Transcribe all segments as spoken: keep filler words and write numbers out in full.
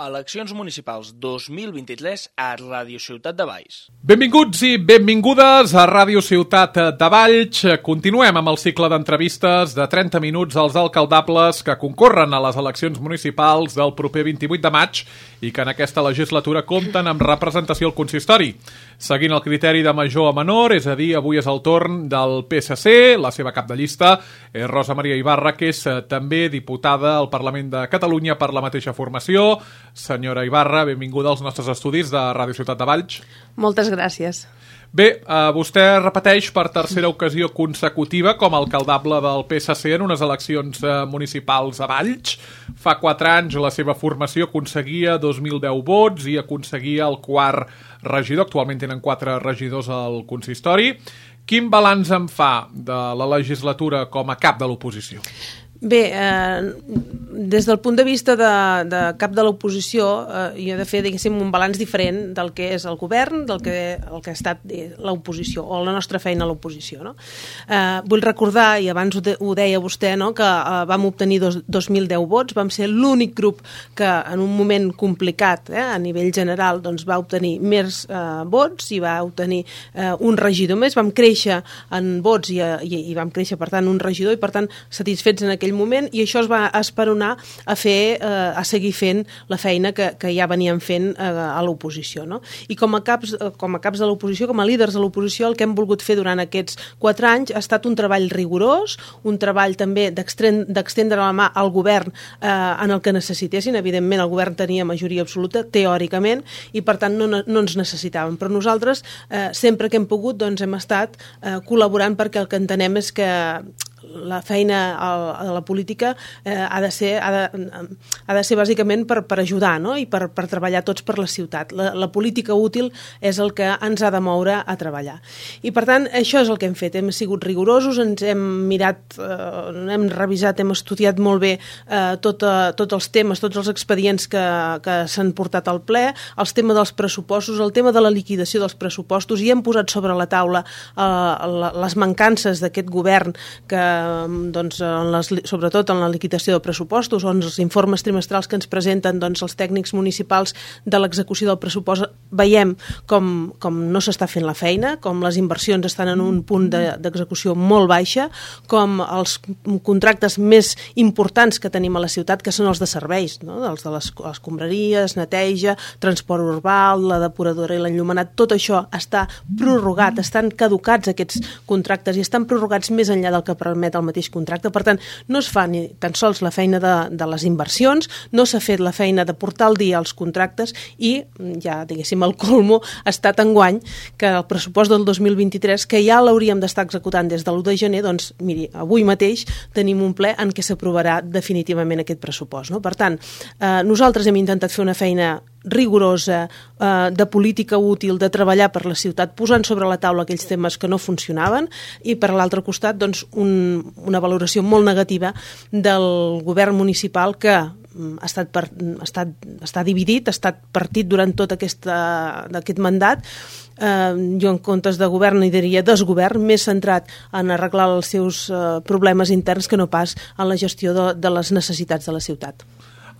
Eleccions municipals dos mil vint-i-tres a Ràdio Ciutat de Valls. Benvinguts i benvingudes a Ràdio Ciutat de Valls. Continuem amb el cicle d'entrevistes de trenta minuts als alcaldables que concorren a les eleccions municipals del proper vint-i-vuit de maig i que en aquesta legislatura compten amb representació al consistori. Seguint el criteri de major a menor, és a dir, avui és el torn del P S C, la seva cap de llista és Rosa Maria Ibarra, que és també diputada al Parlament de Catalunya per la mateixa formació. Senyora Ibarra, benvinguda als nostres estudis de Ràdio Ciutat de Valls. Moltes gràcies. Bé, eh, vostè repeteix per tercera ocasió consecutiva com a alcaldable del P S C en unes eleccions eh, municipals a Valls. Fa quatre anys la seva formació aconseguia dos mil deu vots i aconseguia el quart regidor. Actualment tenen quatre regidors al consistori. Quin balanç en fa de la legislatura com a cap de l'oposició? Bé, eh, des del punt de vista de, de cap de l'oposició, eh, jo he de fer, diguéssim, un balanç diferent del que és el govern, del que, el que ha estat l'oposició, o la nostra feina a l'oposició. No? Eh, vull recordar, i abans ho, de, ho deia vostè, no? que eh, vam obtenir dos, dos mil deu vots, vam ser l'únic grup que en un moment complicat, eh, a nivell general, doncs, va obtenir més eh, vots i va obtenir eh, un regidor més, vam créixer en vots i, i, i vam créixer, per tant, un regidor i, per tant, satisfets en aquell moment, i això es va esperonar a fer, eh, a seguir fent la feina que, que ja veníem fent eh, a l'oposició. No? I com a caps, com a caps de l'oposició, com a líders de l'oposició, el que hem volgut fer durant aquests quatre anys ha estat un treball rigorós, un treball també d'extendre la mà al govern eh, en el que necessitessin. Evidentment, el govern tenia majoria absoluta, teòricament, i per tant no, no ens necessitàvem. Però nosaltres, eh, sempre que hem pogut, doncs hem estat eh, col·laborant, perquè el que entenem és que la feina a la política eh, ha de ser, ha de, ha de ser bàsicament per, per ajudar, no? I per, per treballar tots per la ciutat. La, la política útil és el que ens ha de moure a treballar. I per tant, això és el que hem fet. Hem sigut rigorosos, ens hem mirat, eh, hem revisat, hem estudiat molt bé eh, tot, eh, tots els temes, tots els expedients que, que s'han portat al ple, els temes dels pressupostos, el tema de la liquidació dels pressupostos, i hem posat sobre la taula eh, les mancances d'aquest govern que doncs, en les, sobretot en la liquidació de pressupostos, on els informes trimestrals que ens presenten doncs, els tècnics municipals de l'execució del pressupost, veiem com, com no s'està fent la feina, com les inversions estan en un punt d'execució de, molt baixa, com els contractes més importants que tenim a la ciutat, que són els de serveis, no? Els de les escombraries, neteja, transport urbà, la depuradora i l'enllumenat, tot això està prorrogat, estan caducats aquests contractes i estan prorrogats més enllà del que permet el mateix contracte. Per tant, no es fa ni tan sols la feina de, de les inversions, no s'ha fet la feina de portar al dia els contractes, i ja, diguéssim, el colmo ha estat enguany que el pressupost del dos mil vint-i-tres, que ja l'hauríem d'estar executant des de l'u de gener, doncs, miri, avui mateix tenim un ple en què s'aprovarà definitivament aquest pressupost. No? Per tant, eh, nosaltres hem intentat fer una feina rigorosa, eh, de política útil, de treballar per la ciutat, posant sobre la taula aquells temes que no funcionaven, i per l'altre costat doncs, un, una valoració molt negativa del govern municipal, que ha estat, per, ha estat està dividit, ha estat partit durant tot aquesta, aquest mandat. Eh, jo en comptes de govern hi diria desgovern, més centrat en arreglar els seus eh, problemes interns que no pas en la gestió de, de les necessitats de la ciutat.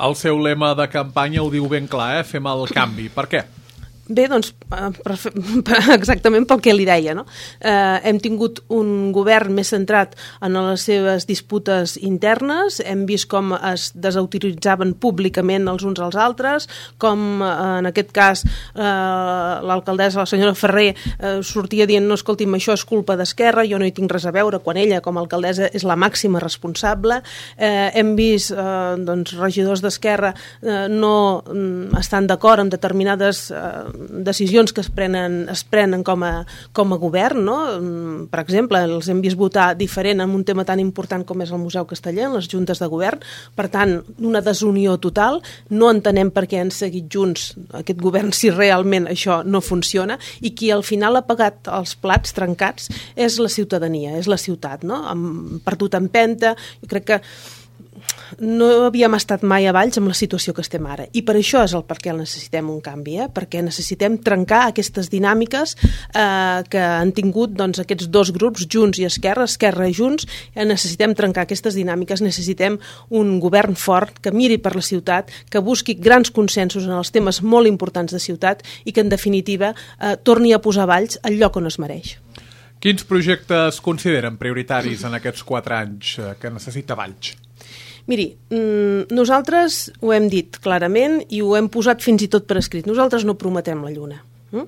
El seu lema de campanya ho diu ben clar, eh? Fem el canvi. Per què? Bé, doncs, per, per, exactament pel que li deia, no? Eh, hem tingut un govern més centrat en les seves disputes internes, hem vist com es desautoritzaven públicament els uns als altres, com eh, en aquest cas eh, l'alcaldessa, la senyora Ferrer, eh, sortia dient, no, escolti'm, això és culpa d'Esquerra, jo no hi tinc res a veure, quan ella, com a alcaldessa, és la màxima responsable. Eh, hem vist eh, doncs, regidors d'Esquerra eh, no mm, estan d'acord amb determinades eh, decisions que es prenen, es prenen com a, com a govern, no? Per exemple, els hem vist votar diferent en un tema tan important com és el Museu Casteller, en les juntes de govern. Per tant, una desunió total. No entenem per què han seguit junts aquest govern si realment això no funciona, i qui al final ha pagat els plats trencats és la ciutadania, és la ciutat, no? Hem perdut empenta. Jo crec que no havíem estat mai a Valls amb la situació que estem ara, i per això és el per què necessitem un canvi, eh? Perquè necessitem trencar aquestes dinàmiques eh, que han tingut doncs, aquests dos grups, Junts i Esquerra, Esquerra i Junts, eh, necessitem trencar aquestes dinàmiques, necessitem un govern fort que miri per la ciutat, que busqui grans consensos en els temes molt importants de ciutat i que en definitiva eh, torni a posar Valls al lloc on es mereix. Quins projectes consideren prioritaris en aquests quatre anys que necessita Valls? Miri, nosaltres ho hem dit clarament i ho hem posat fins i tot per escrit. Nosaltres no prometem la lluna, eh?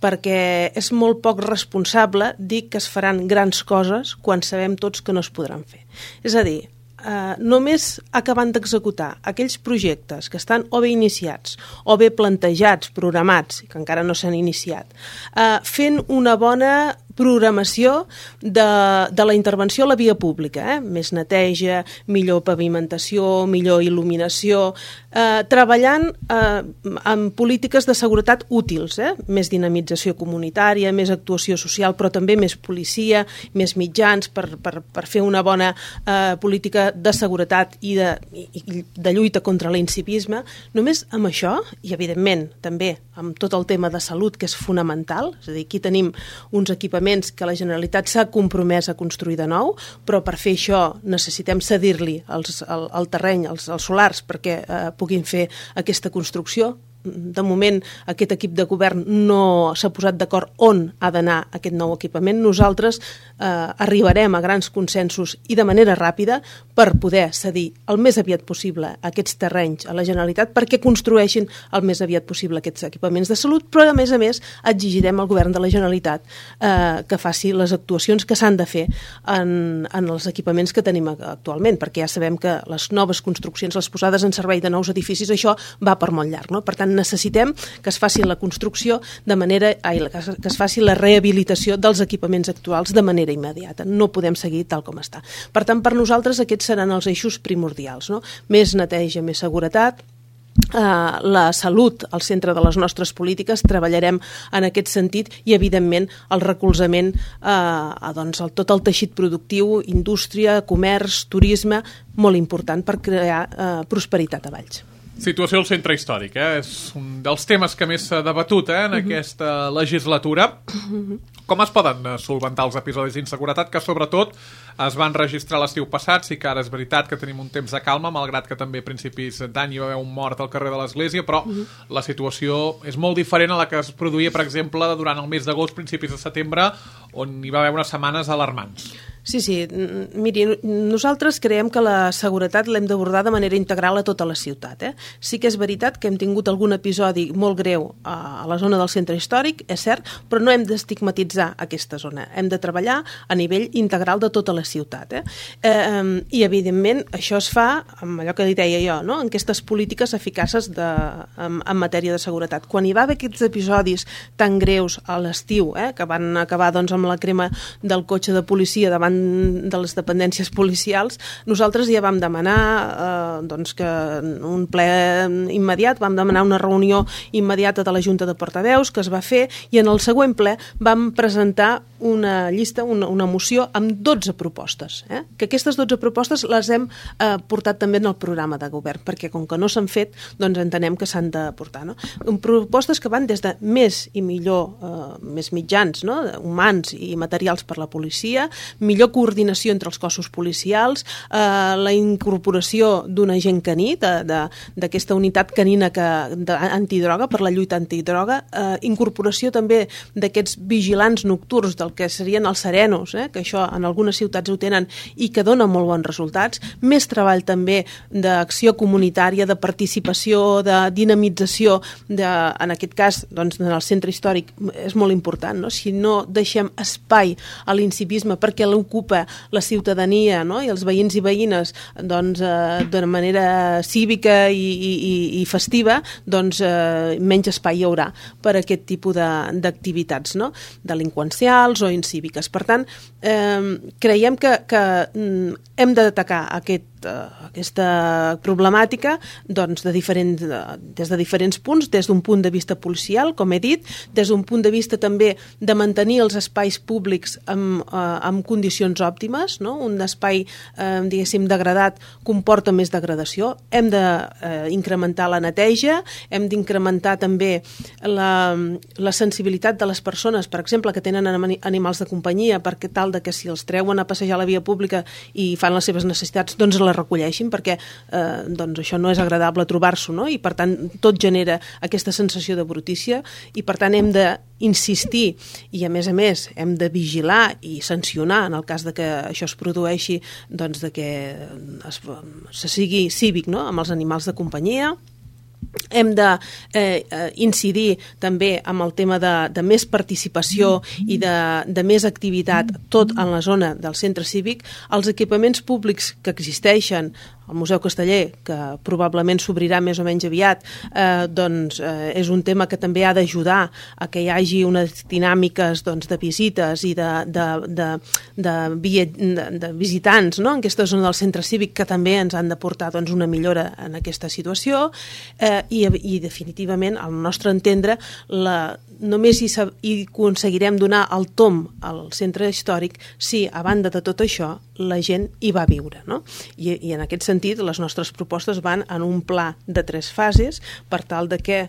Perquè és molt poc responsable dir que es faran grans coses quan sabem tots que no es podran fer. És a dir, Uh, només acabant d'executar aquells projectes que estan o bé iniciats o bé plantejats, programats, que encara no s'han iniciat, uh, fent una bona programació de, de la intervenció a la via pública, eh? Més neteja, millor pavimentació, millor il·luminació, eh, treballant eh, amb polítiques de seguretat útils, eh? Més dinamització comunitària, més actuació social, però també més policia, més mitjans per, per, per fer una bona eh, política de seguretat i de, i de lluita contra l'incivisme. Només amb això, i evidentment també amb tot el tema de salut, que és fonamental, és a dir, aquí tenim uns equipaments que la Generalitat s'ha compromès a construir de nou, però per fer això necessitem cedir-li els, el, el terreny, els, els solars, perquè eh, puguin fer aquesta construcció. De moment, aquest equip de govern no s'ha posat d'acord on ha d'anar aquest nou equipament. Nosaltres eh, arribarem a grans consensos i de manera ràpida per poder cedir el més aviat possible aquests terrenys a la Generalitat perquè construeixin el més aviat possible aquests equipaments de salut, però a més a més exigirem al govern de la Generalitat eh, que faci les actuacions que s'han de fer en, en els equipaments que tenim actualment, perquè ja sabem que les noves construccions, les posades en servei de nous edificis, això va per molt llarg, no? Per tant, necessitem que es faci la construcció de manera, ai, que es faci la rehabilitació dels equipaments actuals de manera immediata. No podem seguir tal com està. Per tant, per nosaltres aquests seran els eixos primordials, no? Més neteja, més seguretat, Uh, la salut al centre de les nostres polítiques, treballarem en aquest sentit i evidentment el recolzament uh, a doncs, el, tot el teixit productiu, indústria, comerç, turisme, molt important per crear uh, prosperitat a Valls. Situació al centre històric, eh? És un dels temes que més s'ha debatut eh, en uh-huh. aquesta legislatura. Uh-huh. Com es poden solventar els episodis d'inseguretat que sobretot es van registrar l'estiu passat? Sí que ara és veritat que tenim un temps de calma, malgrat que també a principis d'any hi va haver un mort al carrer de l'Església, però uh-huh. la situació és molt diferent a la que es produïa, per exemple, durant el mes d'agost, principis de setembre, on hi va haver unes setmanes alarmants. Sí, sí. Miri, nosaltres creiem que la seguretat l'hem d'abordar de manera integral a tota la ciutat. Eh? Sí que és veritat que hem tingut algun episodi molt greu a la zona del centre històric, és cert, però no hem d'estigmatitzar aquesta zona. Hem de treballar a nivell integral de tota la ciutat. Eh? Eh, I, evidentment, això es fa amb allò que li deia jo, no? En aquestes polítiques eficaces de, en, en matèria de seguretat. Quan hi va haver aquests episodis tan greus a l'estiu, eh? que van acabar doncs, amb la crema del cotxe de policia davant de les dependències policials, nosaltres ja vam demanar eh, doncs que un ple immediat, vam demanar una reunió immediata de la Junta de Portaveus que es va fer i en el següent ple vam presentar una llista, una, una moció amb dotze propostes, eh? que aquestes dotze propostes les hem eh, portat també en el programa de govern, perquè com que no s'han fet, doncs entenem que s'han de portar. No? Propostes que van des de més i millor, eh, més mitjans, no? humans i materials per la policia, millor coordinació entre els cossos policials, eh, la incorporació d'un agent caní, d'aquesta unitat canina que, de, antidroga, per la lluita antidroga, eh, incorporació també d'aquests vigilants nocturns del que serien els serenos, eh, que això en algunes ciutats ho tenen i que dona molt bons resultats, més treball també d'acció comunitària, de participació, de dinamització, de, en aquest cas, doncs, en el centre històric és molt important, no? Si no deixem espai a l'incivisme perquè l'ocupa la ciutadania, no? I els veïns i veïnes doncs, eh, d'una manera cívica i, i, i festiva, doncs eh, menys espai hi haurà per a aquest tipus d'activitats, no? Delinqüencials o incíviques. Per tant, eh, creiem que, que hem d'atacar aquest aquesta problemàtica doncs, de diferents, des de diferents punts, des d'un punt de vista policial, com he dit, des d'un punt de vista també de mantenir els espais públics amb, amb condicions condicions òptimes, no? Un espai, eh, diguéssim, degradat comporta més degradació. Hem d'incrementar la neteja, hem d'incrementar també la, la sensibilitat de les persones, per exemple, que tenen animals de companyia, perquè tal de que si els treuen a passejar a la via pública i fan les seves necessitats, doncs les recolleixin, perquè eh, doncs això no és agradable trobar-s'ho, no? I per tant tot genera aquesta sensació de brutícia i per tant hem d'insistir i a més a més hem de vigilar i sancionar en el cas de que això es produeixi, doncs de que es, se sigui cívic, no? Amb els animals de companyia. Hem d'incidir eh, també amb el tema de, de més participació i de, de més activitat tot en la zona del centre cívic. Els equipaments públics que existeixen, el Museu Casteller, que probablement s'obrirà més o menys aviat, eh, doncs eh, és un tema que també ha d'ajudar a que hi hagi unes dinàmiques doncs, de visites i de, de, de, de, de, de visitants, no? En aquesta zona del centre cívic que també ens han de portar doncs, una millora en aquesta situació eh, i, i definitivament, al nostre entendre, la, només hi, hi aconseguirem donar el tom al centre històric si, a banda de tot això, la gent hi va viure, no? I, i en aquest sentit, les nostres propostes van en un pla de tres fases per tal de que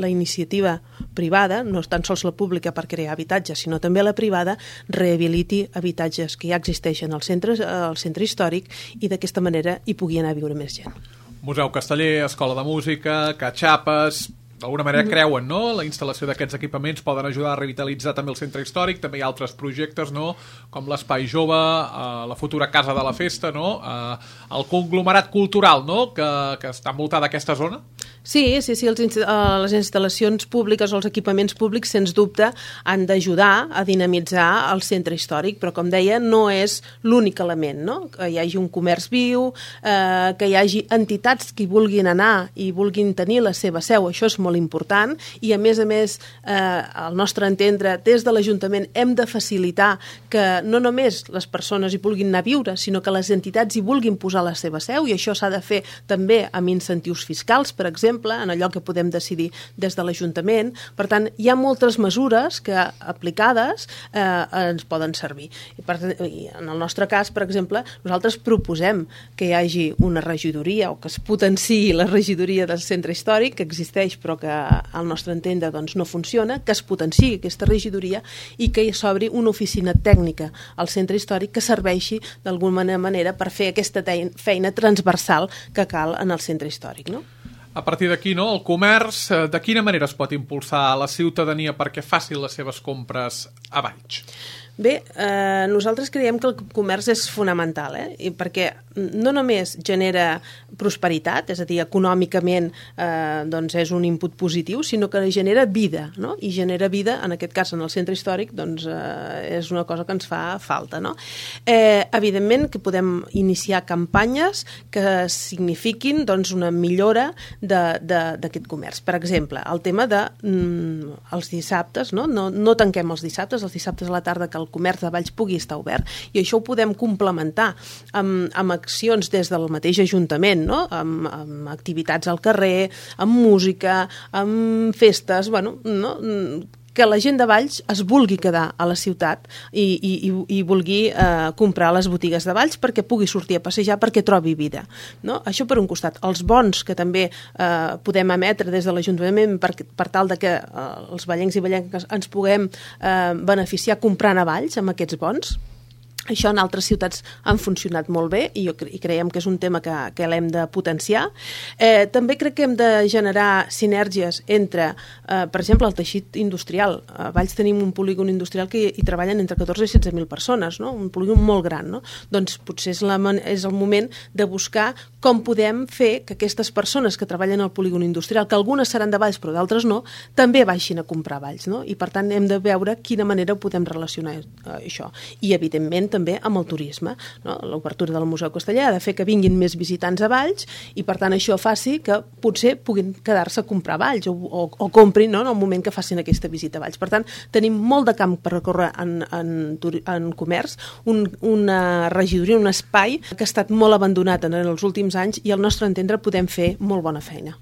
la iniciativa privada, no tan sols la pública per crear habitatges, sinó també la privada, rehabiliti habitatges que ja existeixen al centre, al centre històric i d'aquesta manera hi pugui anar a viure més gent. Museu Casteller, Escola de Música, Catxapes, d'alguna manera creuen, no? La instal·lació d'aquests equipaments poden ajudar a revitalitzar també el centre històric, també hi ha altres projectes, no? Com l'Espai Jove, eh, la futura Casa de la Festa, no? Eh, el conglomerat cultural, no? Que, que està envoltat d'aquesta zona. Sí, sí, sí, els, uh, les instal·lacions públiques o els equipaments públics, sens dubte, han d'ajudar a dinamitzar el centre històric, però, com deia, no és l'únic element, no? Que hi hagi un comerç viu, eh, que hi hagi entitats que hi vulguin anar i vulguin tenir la seva seu, això és molt important, i, a més a més, eh, al nostre entendre, des de l'Ajuntament hem de facilitar que no només les persones hi vulguin anar a viure, sinó que les entitats hi vulguin posar la seva seu, i això s'ha de fer també amb incentius fiscals, per exemple, en allò que podem decidir des de l'Ajuntament. Per tant, hi ha moltes mesures que, aplicades, eh, ens poden servir. I, per, I en el nostre cas, per exemple, nosaltres proposem que hi hagi una regidoria o que es potenciï la regidoria del centre històric, que existeix però que al nostre entendre doncs, no funciona, que es potenciï aquesta regidoria i que hi s'obri una oficina tècnica al centre històric que serveixi d'alguna manera per fer aquesta feina transversal que cal en el centre històric, no? A partir d'aquí, no, el comerç, de quina manera es pot impulsar la ciutadania perquè faci les seves compres a Valls? Bé, eh, nosaltres creiem que el comerç és fonamental, eh? I perquè no només genera prosperitat, és a dir, econòmicament eh, doncs és un input positiu, sinó que genera vida, no? I genera vida, en aquest cas, en el centre històric, doncs eh, és una cosa que ens fa falta, no? Eh, evidentment que podem iniciar campanyes que signifiquin doncs, una millora d'aquest comerç. Per exemple, el tema de mm, els dissabtes, no? No, no tanquem els dissabtes, els dissabtes a la tarda que el comerç de Valls pugui estar obert, i això ho podem complementar amb, amb accions des del mateix Ajuntament, no? Amb, amb activitats al carrer, amb música, amb festes, bueno, no? Que la gent de Valls es vulgui quedar a la ciutat i, i, i vulgui eh, comprar a les botigues de Valls perquè pugui sortir a passejar, perquè trobi vida, no? Això per un costat. Els bons que també eh, podem emetre des de l'Ajuntament per, per tal de que eh, els vallencs i vallenques ens puguem eh, beneficiar comprant a Valls amb aquests bons. Això en altres ciutats han funcionat molt bé i, jo cre i creiem que és un tema que, que l'hem de potenciar. Eh, també crec que hem de generar sinergies entre, eh, per exemple, el teixit industrial. A Valls tenim un polígon industrial que hi treballen entre catorze i setze mil persones, no? Un polígon molt gran, no? Doncs potser és, la, és el moment de buscar com podem fer que aquestes persones que treballen al polígon industrial, que algunes seran de Valls però d'altres no, també baixin a comprar a Valls, no? I per tant hem de veure quina manera ho podem relacionar eh, això. I evidentment també amb el turisme, no? L'obertura del Museu Casteller ha de fer que vinguin més visitants a Valls i per tant això faci que potser puguin quedar-se a comprar a Valls o, o, o comprin, no? En el moment que facin aquesta visita a Valls. Per tant, tenim molt de camp per recórrer en, en, en comerç, un, una regidoria, un espai que ha estat molt abandonat en els últims anys i al nostre entendre podem fer molt bona feina.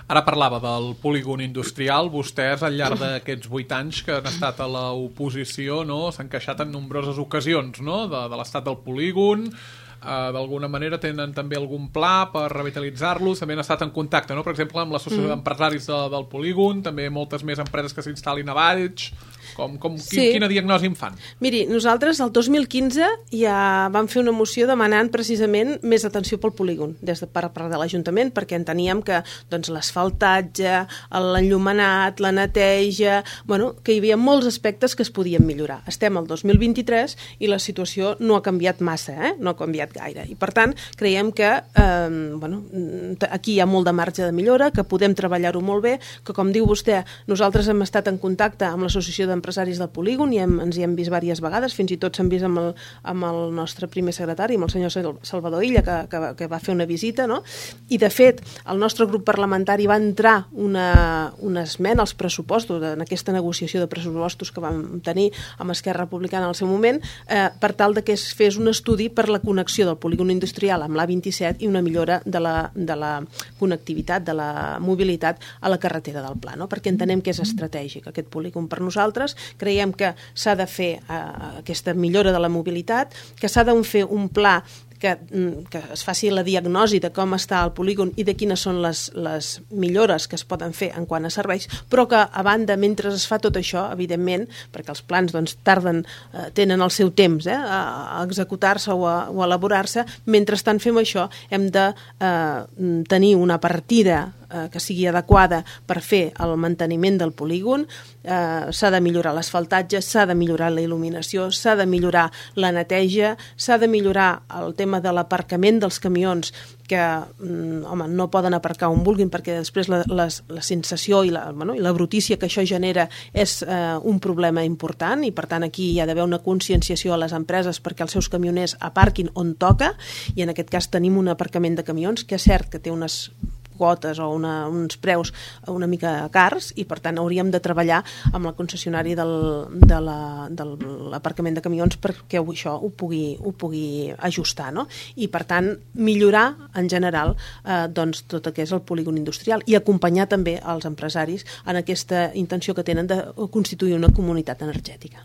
Ara parlava del polígon industrial. Vostès, al llarg d'aquests vuit anys que han estat a l'oposició, no, s'han queixat en nombroses ocasions, no?, de, de l'estat del polígon. Uh, d'alguna manera tenen també algun pla per revitalitzar-los, també han estat en contacte, no?, per exemple, amb l'associació mm. d'empresaris de, del polígon, també moltes més empreses que s'instal·lin a Valls. Com, com, sí. Quina diagnosi en fan? Miri, nosaltres el dos mil quinze ja vam fer una moció demanant precisament més atenció pel polígon des de part de l'Ajuntament, perquè enteníem que doncs, l'asfaltatge, l'enllumenat, la neteja, bueno, que hi havia molts aspectes que es podien millorar. Estem al dos mil vint-i-tres i la situació no ha canviat massa, eh? no ha canviat gaire. I per tant, creiem que eh, bueno, aquí hi ha molt de marge de millora, que podem treballar-ho molt bé, que com diu vostè, nosaltres hem estat en contacte amb l'Associació d'Empresaris del Polígon i hem, ens hi hem vist diverses vegades, fins i tot s'han vist amb el, amb el nostre primer secretari, amb el senyor Salvador Illa, que, que, que va fer una visita, no? I de fet, el nostre grup parlamentari va entrar una, una esmena als pressupostos, en aquesta negociació de pressupostos que vam tenir amb Esquerra Republicana al seu moment, eh, per tal de que es fes un estudi per la connexió del polígon industrial amb l'A vint-i-set i una millora de la, de la connectivitat, de la mobilitat a la carretera del Pla, no? Perquè entenem que és estratègic aquest polígon per nosaltres. Creiem que s'ha de fer eh, aquesta millora de la mobilitat, que s'ha de fer un pla que, que es faci la diagnosi de com està el polígon i de quines són les, les millores que es poden fer en quant a serveis, però que a banda, mentre es fa tot això, evidentment, perquè els plans doncs, tarden, eh, tenen el seu temps eh, a, a executar-se o a, o a elaborar-se, mentrestant fem això, hem de eh, tenir una partida eh, que sigui adequada per fer el manteniment del polígon, eh, s'ha de millorar l'asfaltatge, s'ha de millorar la il·luminació, s'ha de millorar la neteja, s'ha de millorar el tema de l'aparcament dels camions que mm, home, no poden aparcar on vulguin perquè després la, la, la sensació i la, bueno, i la brutícia que això genera és eh, un problema important i per tant aquí hi ha d'haver una conscienciació a les empreses perquè els seus camioners aparquin on toca i en aquest cas tenim un aparcament de camions que és cert que té unes quotes o una, uns preus una mica cars i per tant hauríem de treballar amb la concessionària del, de la, de l'aparcament de camions perquè això ho pugui, ho pugui ajustar, no? I per tant millorar en general eh, doncs, tot el que és el polígon industrial i acompanyar també els empresaris en aquesta intenció que tenen de constituir una comunitat energètica.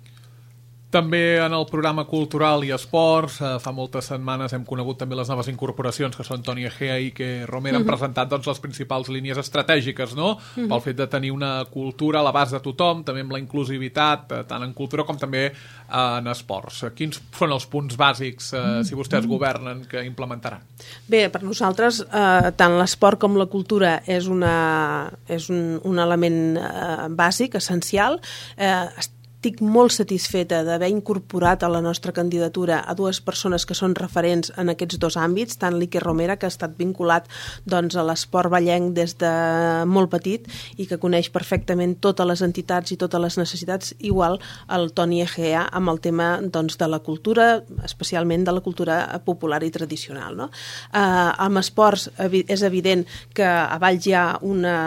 També en el programa Cultural i Esports, eh, fa moltes setmanes hem conegut també les noves incorporacions, que són Toni Egea i Iker Romero, han uh-huh. presentat doncs, les principals línies estratègiques, no? Uh-huh. Pel fet de tenir una cultura a l'abast de tothom, també amb la inclusivitat, eh, tant en cultura com també eh, en esports. Quins són els punts bàsics, eh, uh-huh. si vostès governen, que implementaran? Bé, per nosaltres, eh, tant l'esport com la cultura és, una, és un, un element eh, bàsic, essencial. Eh, Estic molt satisfeta d'haver incorporat a la nostra candidatura a dues persones que són referents en aquests dos àmbits, tant l'Iker Romero, que ha estat vinculat doncs, a l'esport ballenc des de molt petit i que coneix perfectament totes les entitats i totes les necessitats, igual el Toni Egea amb el tema doncs, de la cultura, especialment de la cultura popular i tradicional. No? Eh, amb esports és evident que a Valls hi ha una,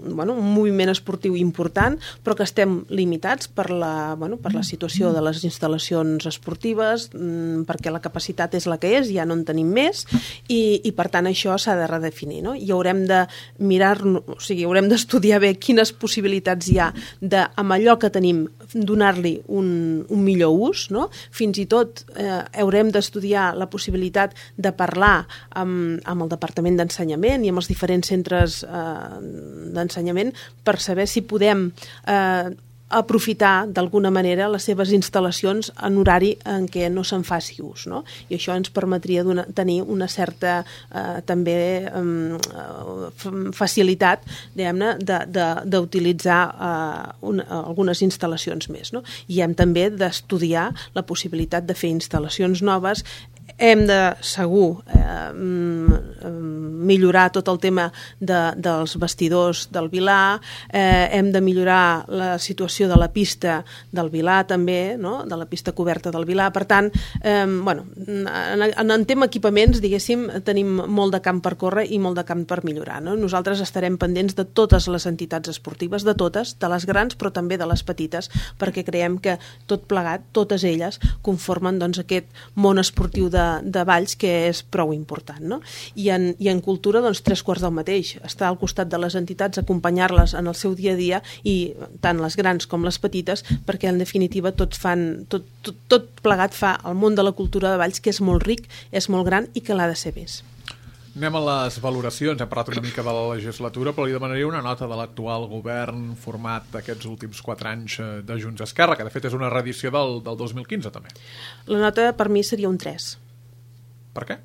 bueno, un moviment esportiu important, però que estem limitats per la Bueno, per la situació de les instal·lacions esportives, mmm, perquè la capacitat és la que és, ja no en tenim més, i, i per tant això s'ha de redefinir, no? I haurem de mirar, o sigui, haurem d'estudiar bé quines possibilitats hi ha de, amb allò que tenim, donar-li un, un millor ús, no? Fins i tot eh, haurem d'estudiar la possibilitat de parlar amb, amb el Departament d'Ensenyament i amb els diferents centres eh, d'ensenyament per saber si podem eh, aprofitar d'alguna manera les seves instal·lacions en horari en què no se'n faci ús, no? I això ens permetria donar, tenir una certa eh, també eh, facilitat, diguem-ne, d'utilitzar eh, un, algunes instal·lacions més, no? I hem també d'estudiar la possibilitat de fer instal·lacions noves. Hem de, segur, eh, millorar tot el tema de, dels vestidors del Vilar, eh, hem de millorar la situació de la pista del Vilar també, no? De la pista coberta del Vilar. Per tant, eh, bueno, en, en tema equipaments, diguéssim, tenim molt de camp per córrer i molt de camp per millorar, no? Nosaltres estarem pendents de totes les entitats esportives, de totes, de les grans però també de les petites, perquè creiem que tot plegat, totes elles, conformen doncs, aquest món esportiu de de, de Valls, que és prou important, no? I en, i en cultura, doncs, tres quarts del mateix. Estar al costat de les entitats, acompanyar-les en el seu dia a dia, i tant les grans com les petites, perquè en definitiva tots fan, tot, tot, tot plegat fa el món de la cultura de Valls, que és molt ric, és molt gran i que l'ha de ser més. Anem a les valoracions. Hem parlat una mica de la legislatura, però li demanaria una nota de l'actual govern format aquests últims quatre anys de Junts Esquerra, que de fet és una reedició del, del dos mil quinze també. La nota per mi seria un tres. Per què?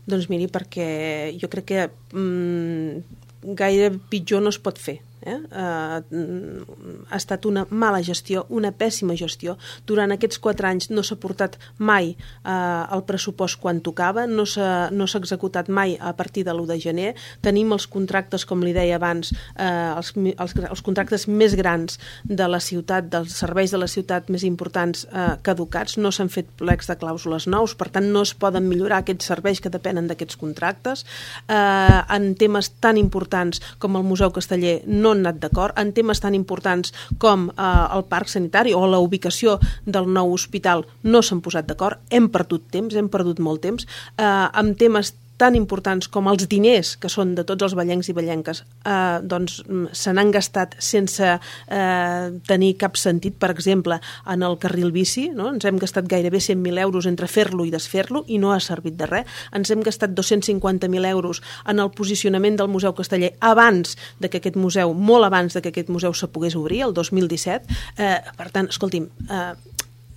Doncs miri, perquè jo crec que mm, gaire pitjor no es pot fer. Eh? Uh, ha estat una mala gestió, una pèssima gestió. Durant aquests quatre anys no s'ha portat mai uh, el pressupost quan tocava, no s'ha no s'ha executat mai a partir de l'u de gener. Tenim els contractes, com li deia abans, uh, els, els, els contractes més grans de la ciutat, dels serveis de la ciutat més importants uh, caducats, no s'han fet plecs de clàusules nous, per tant no es poden millorar aquests serveis que depenen d'aquests contractes. Uh, en temes tan importants com el Museu Casteller no han anat d'acord, en temes tan importants com eh, el parc sanitari o la ubicació del nou hospital no s'han posat d'acord, hem perdut temps, hem perdut molt temps, eh, amb temes tan importants com els diners, que són de tots els vallencs i vallenques, eh, doncs se n'han gastat sense eh, tenir cap sentit. Per exemple, en el carril bici, no? Ens hem gastat gairebé cent mil euros entre fer-lo i desfer-lo i no ha servit de res. Ens hem gastat dos-cents cinquanta mil euros en el posicionament del Museu Casteller abans de que aquest museu, molt abans de que aquest museu se pogués obrir, el dos mil disset. Eh, per tant, escolti'm, eh,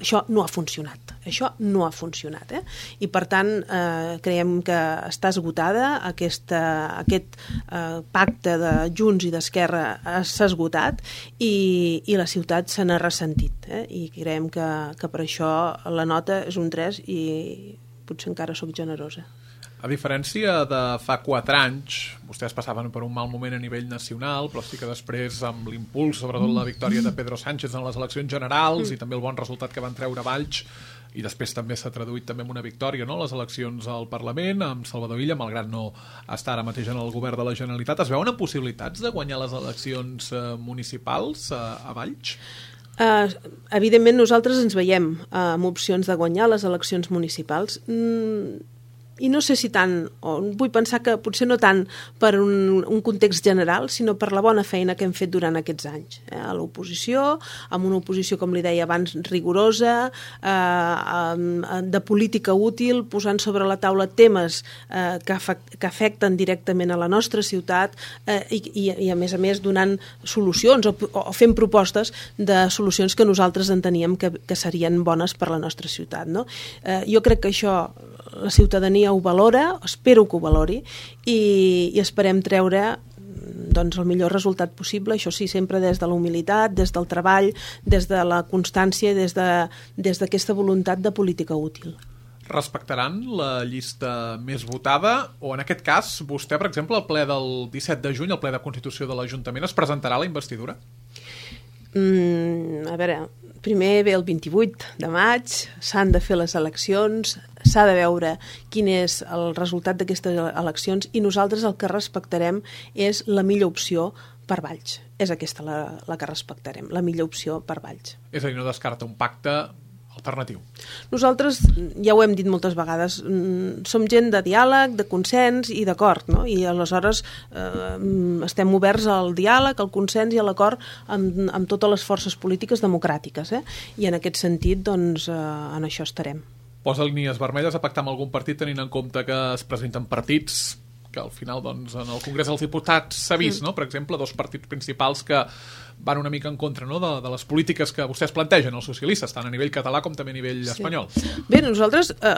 això no ha funcionat. Això no ha funcionat. Eh? I, per tant, eh, creiem que està esgotada. Aquesta, aquest eh, pacte de Junts i d'Esquerra s'ha esgotat i, i la ciutat se n'ha ressentit. Eh? I creiem que, que per això la nota és un tres i potser encara sóc generosa. A diferència de fa quatre anys, vostès passaven per un mal moment a nivell nacional, però sí que després, amb l'impuls, sobretot la victòria de Pedro Sánchez en les eleccions generals mm. i també el bon resultat que van treure Valls, i després també s'ha traduït també en una victòria, no?, les eleccions al Parlament, amb Salvador Illa, malgrat no estar ara mateix en el govern de la Generalitat. Es veuen possibilitats de guanyar les eleccions eh, municipals eh, a Valls? Uh, evidentment nosaltres ens veiem uh, amb opcions de guanyar les eleccions municipals. Mm, i no sé si tant, o vull pensar que potser no tant per un, un context general, sinó per la bona feina que hem fet durant aquests anys. Eh? A l'oposició, amb una oposició, com li deia abans, rigorosa, eh, de política útil, posant sobre la taula temes eh, que, afect, que afecten directament a la nostra ciutat eh, i, i, i, a més a més, donant solucions o, o fent propostes de solucions que nosaltres enteníem que, que serien bones per la nostra ciutat. No? Eh, jo crec que això la ciutadania ho valora, espero que ho valori i, i esperem treure doncs, el millor resultat possible, això sí, sempre des de la humilitat, des del treball, des de la constància i des de, des d'aquesta voluntat de política útil. Respectaran la llista més votada o, en aquest cas, vostè, per exemple, al ple del disset de juny, al ple de Constitució de l'Ajuntament, es presentarà la investidura? Mm, a veure, primer ve el vint-i-vuit de maig, s'han de fer les eleccions, s'ha de veure quin és el resultat d'aquestes eleccions i nosaltres el que respectarem és la millor opció per Valls. És aquesta la, la que respectarem, la millor opció per Valls. És a dir, no descarta un pacte alternatiu. Nosaltres, ja ho hem dit moltes vegades, som gent de diàleg, de consens i d'acord, no? I aleshores eh, estem oberts al diàleg, al consens i a l'acord amb, amb totes les forces polítiques democràtiques. Eh? I en aquest sentit, doncs, eh, en això estarem. Posa línies vermelles a pactar amb algun partit tenint en compte que es presenten partits que al final, doncs, en el Congrés dels Diputats s'ha vist, mm. no? Per exemple, dos partits principals que van una mica en contra, no?, de, de les polítiques que vostès plantegen, els socialistes, tant a nivell català com també a nivell sí. espanyol. Bé, nosaltres, eh,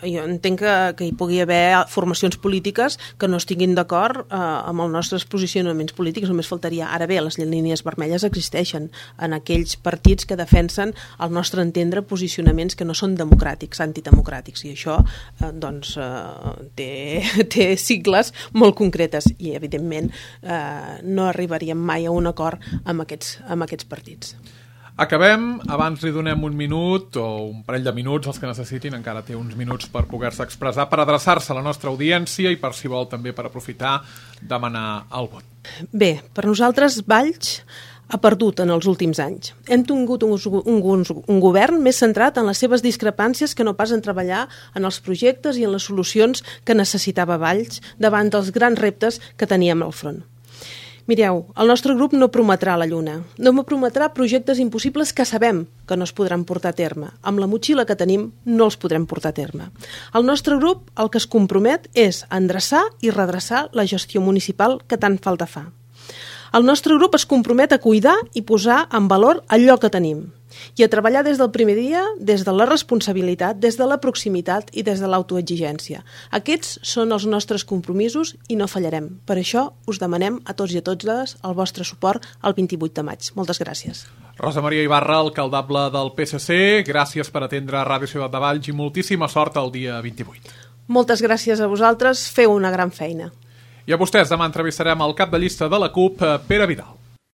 jo entenc que, que hi pugui haver formacions polítiques que no estiguin d'acord eh, amb els nostres posicionaments polítics, només faltaria. Ara bé, les línies vermelles existeixen en aquells partits que defensen, al nostre entendre, posicionaments que no són democràtics, antidemocràtics, i això, eh, doncs, eh, té, té sigles molt concretes i, evidentment, eh, no arribaríem mai a un acord amb amb aquests, amb aquests partits. Acabem. Abans li donem un minut o un parell de minuts, els que necessitin, encara té uns minuts per poder-se expressar, per adreçar-se a la nostra audiència i, per si vol, també per aprofitar, demanar el vot. Bé, per nosaltres, Valls ha perdut en els últims anys. Hem tingut un, un, un govern més centrat en les seves discrepàncies que no pas en treballar en els projectes i en les solucions que necessitava Valls davant dels grans reptes que teníem al front. Mireu, el nostre grup no prometrà la lluna, no prometrà projectes impossibles que sabem que no es podran portar a terme. Amb la motxilla que tenim no els podrem portar a terme. El nostre grup el que es compromet és endreçar i redreçar la gestió municipal que tant falta fa. El nostre grup es compromet a cuidar i posar en valor allò que tenim i a treballar des del primer dia, des de la responsabilitat, des de la proximitat i des de l'autoexigència. Aquests són els nostres compromisos i no fallarem. Per això us demanem a tots i a totes el vostre suport el vint-i-vuit de maig. Moltes gràcies. Rosa Maria Ibarra, alcaldable del P S C, gràcies per atendre Ràdio Ciutat de Valls i moltíssima sort el dia vint-i-vuit. Moltes gràcies a vosaltres, feu una gran feina. I a vostès demà entrevistarem el cap de llista de la CUP, Pere Vidal.